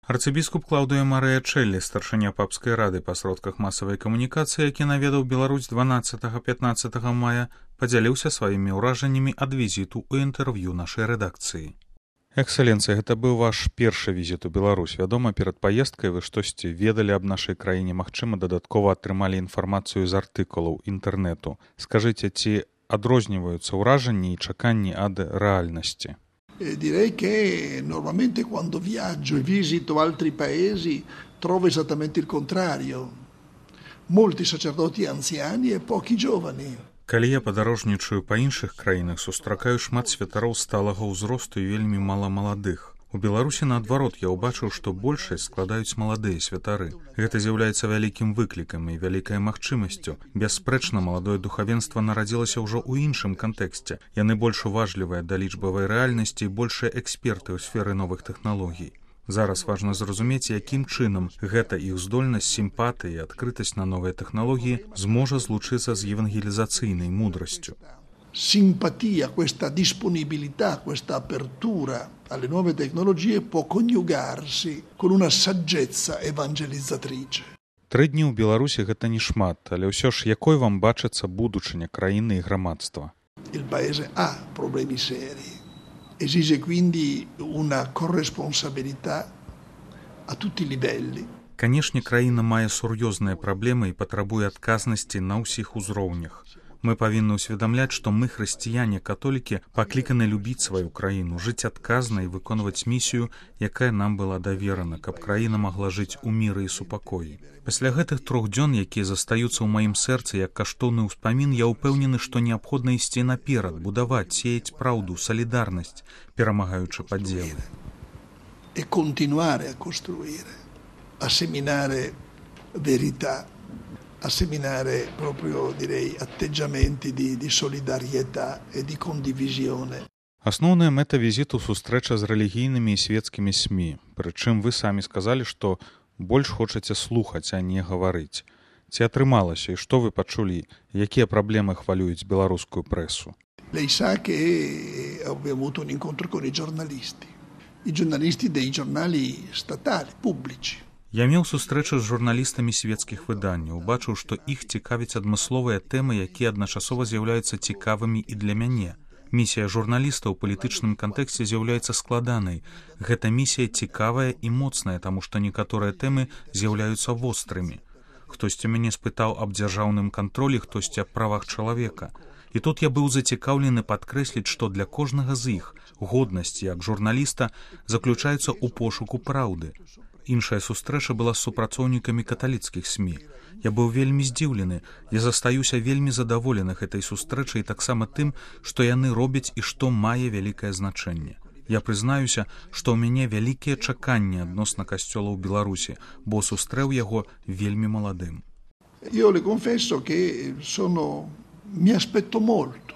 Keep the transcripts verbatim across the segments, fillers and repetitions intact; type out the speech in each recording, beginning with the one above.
Арцыбіскуп Клаўдыя Марыя Чэллі, старшыня папскай рады па сродках масавай камунікацыі, які наведаў Беларусь дванаццатага-пятнаццатага мая, падзяліўся сваімі ўражаннямі ад візіту ў інтэрв'ю нашай рэдакцыі. Эксцэленцыя, гэта быў ваш першы візіт у Беларусь. Вядома, перад паездкай вы штосьці ведалі аб нашай краіне, магчыма, дадаткова атрымалі інфармацыю з артыкулаў інтэрнэту. Скажыце, ці адрозніваюцца ўражанні і чаканні ад рэальнасці? Eh, direi che normalmente quando viaggio e visito altri paesi trovo esattamente il contrario. Molti sacerdoti anziani e pochi giovani. Калі я падарожнічаю па іншых краінах, сустракаю шмат святароў сталага ўзросту і вельмі мала маладых. У Беларусі, наадварот, я ўбачыў, што большасць складаюць маладыя святары. Гэта з'яўляецца вялікім выклікам і вялікай магчымасцю. Бясспрэчна, маладое духавенства нарадзілася ўжо ў іншым кантэксце. Яны больш уважлівыя да лічбавай рэальнасці і большыя эксперты ў сферы новых тэхналогій. Зараз важна зразумець, якім чынам гэта іх здольнасць, сімпатыя і адкрытасць на новыя тэхналогіі зможа злучыцца з евангелізацыйнай мудрасцю. Simpatia, questa disponibilità, questa apertura alle nuove tecnologie può coniugarsi con una saggezza evangelizzatrice. Тры дні ў Беларусі гэта не шмат, але ўсё ж якой вам бачыцца будучыня краіны і грамадства? Il paese ha problemi seri. Esige quindi una corresponsabilità a tutti i livelli. Канешне, краіна мае сур'ёзныя праблемы і патрабуе адказнасці на ўсіх узроўнях. Мы павінны ўсведамляць, што мы, хрысціяне-католікі, пакліканы любіць сваю краіну, жыць адказна і выконваць місію, якая нам была даверана, каб краіна магла жыць у міры і супакоі. Пасля гэтых трох дзён, якія застаюцца ў маім сэрцы як каштоўны ўспамін, я ўпэўнены, што неабходна ісці наперад, будаваць, сеяць праўду, салідарнасць, перамагаючы падзелы. E continuare a costruire, a seminare verità, a seminare proprio, direi, atteggiamenti di, di solidarietà e di condivisione. Асноўная мэта візіту сустрэча з рэлігійнымі і свецкімі СМІ. Прычым вы самі сказалі, што больш хочаце слухаць, а не гаварыць. Ці атрымалася і што вы пачулі? Якія праблемы хвалююць беларускую прэсу? Lei sa che avevo avuto un incontro con i giornalisti, i giornalisti dei giornali statali, pubblici. Я меў сустрэчу з журналістамі свецкіх выданняў, убачыў, што іх цікавяць адмысловыя тэмы, якія адначасова з'яўляюцца цікавымі і для мяне. Місія журналіста ў палітычным кантэксце з'яўляецца складанай. Гэта місія цікавая і моцная, таму што некаторыя тэмы з'яўляюцца вострымі. Хтосьці мяне спытаў аб дзяржаўным кантролі, хтосьці аб правах чалавека. І тут я быў зацікаўлены падкрэсліць, што для кожнага з іх годнасць як журналіста заключаецца ў пошуку праўды. Іншая сустрэча была з супрацоўнікамі каталіцкіх СМІ. Я быў вельмі здзіўлены, я застаюся вельмі задаволены гэтай сустрэчай і таксама тым, што яны робяць і што мае вялікае значэнне. Я прызнаюся, што ў мяне вялікія чаканні адносна касцёла ў Беларусі, бо сустрэў яго вельмі маладым. Io le confesso che sono mi aspetto molto,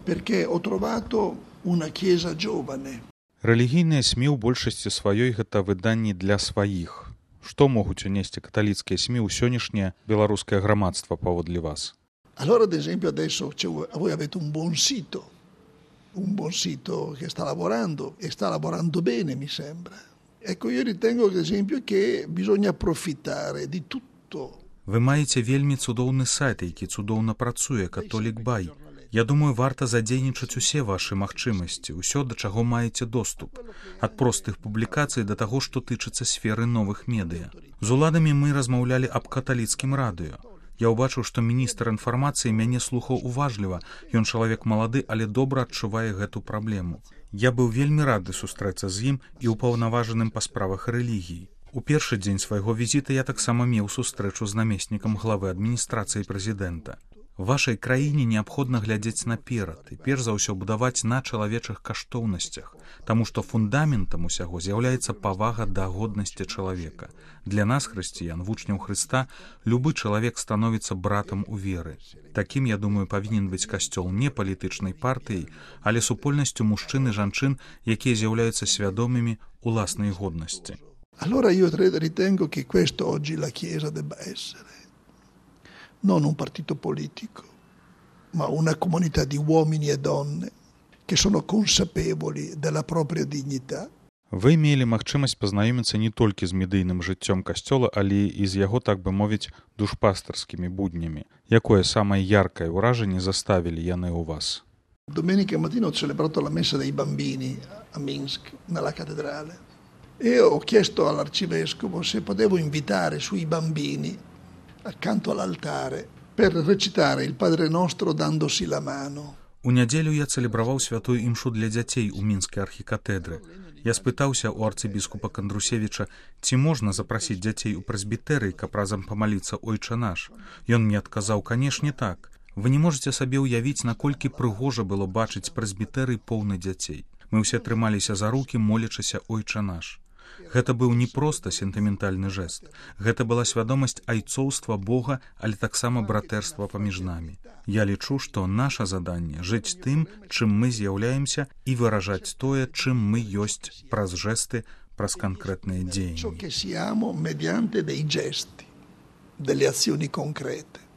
perché ho trovato una chiesa giovane. Рэлігійныя СМІ ў большасці сваёй гэта выданні для сваіх. Што могуць унесці каталіцкія СМІ ў сённяшняе беларускае грамадства паводле вас? Allora, ad esempio, adesso voi avete un buon sito, un buon sito che sta lavorando e sta lavorando bene, mi sembra. Ecco, io ritengo, ad esempio, che bisogna approfittare di tutto. Вы маеце вельмі цудоўны сайт, які цудоўна працуе, католік Бай. Я думаю, варта задзейнічаць усе вашы магчымасці, усё, да чаго маеце доступ. Ад простых публікацый да таго, што тычыцца сферы новых медыа. З уладамі мы размаўлялі аб каталіцкім радыё. Я ўбачыў, што міністр інфармацыі мяне слухаў уважліва. Ён чалавек малады, але добра адчувае гэту праблему. Я быў вельмі рады сустрэцца з ім і ўпаўнаважаным па справах рэлігіі. У першы дзень свайго візіта я таксама меў сустрэчу з намеснікам главы адміністрацыі прэзідэнта. Вашай краіне неабходна глядзець наперад і перш за ўсё будаваць на чалавечых каштоўнасцях, таму што фундаментам усяго з'яўляецца павага да годнасці чалавека. Для нас, хрысціян, вучняў Хрыста, любы чалавек становіцца братам у веры. Такім, я думаю, павінен быць касцёл не палітычнай партыяй, але супольнасцю мужчын і жанчын, якія з'яўляюцца свядомымі уласнай годнасці. Allora io ritengo che questo oggi la Chiesa debba essere. Non un partito politico, ma una comunità di uomini e donne che sono consapevoli della propria dignità. Вы мелі магчымасць пазнаёміцца не толькі з медыйным жыццём касцёла, але і з яго, так бы мовіць, душпастарскімі буднямі. Якое самае яркае ўражанне заставілі яны ў вас? Domenica mattina ho celebrato la messa dei bambini a Minsk, nella cattedrale, e ho chiesto all'arcivescovo se potevo invitare sui bambini accanto all'altare per recitare il Padre Nostro dandosi la mano. У нядзелю я цэлебраваў святую імшу для дзяцей у мінскай архікатэдры. Я спытаўся ў арцыбіскупа Кандрусевіча, ці можна запрасіць дзяцей у прэсбітэрый, каб разам памаліцца «Ойча наш». Ён мне адказаў, канешне так. Вы не можаце сабе ўявіць, наколькі прыгожа было бачыць прэсбітэрый поўны дзяцей. Мы ўсе трымаліся за рукі, молячыся «Ойча наш». Гэта быў не проста сентыментальны жэст. Гэта была свядомасць айцоўства Бога, але таксама братэрства паміж намі. Я лічу, што наша заданне жыць тым, чым мы з'яўляемся, і выражаць тое, чым мы ёсць праз жэсты, праз канкрэтныя дзеянні. Ciò che siamo mediante dei gesti, delle azioni concrete.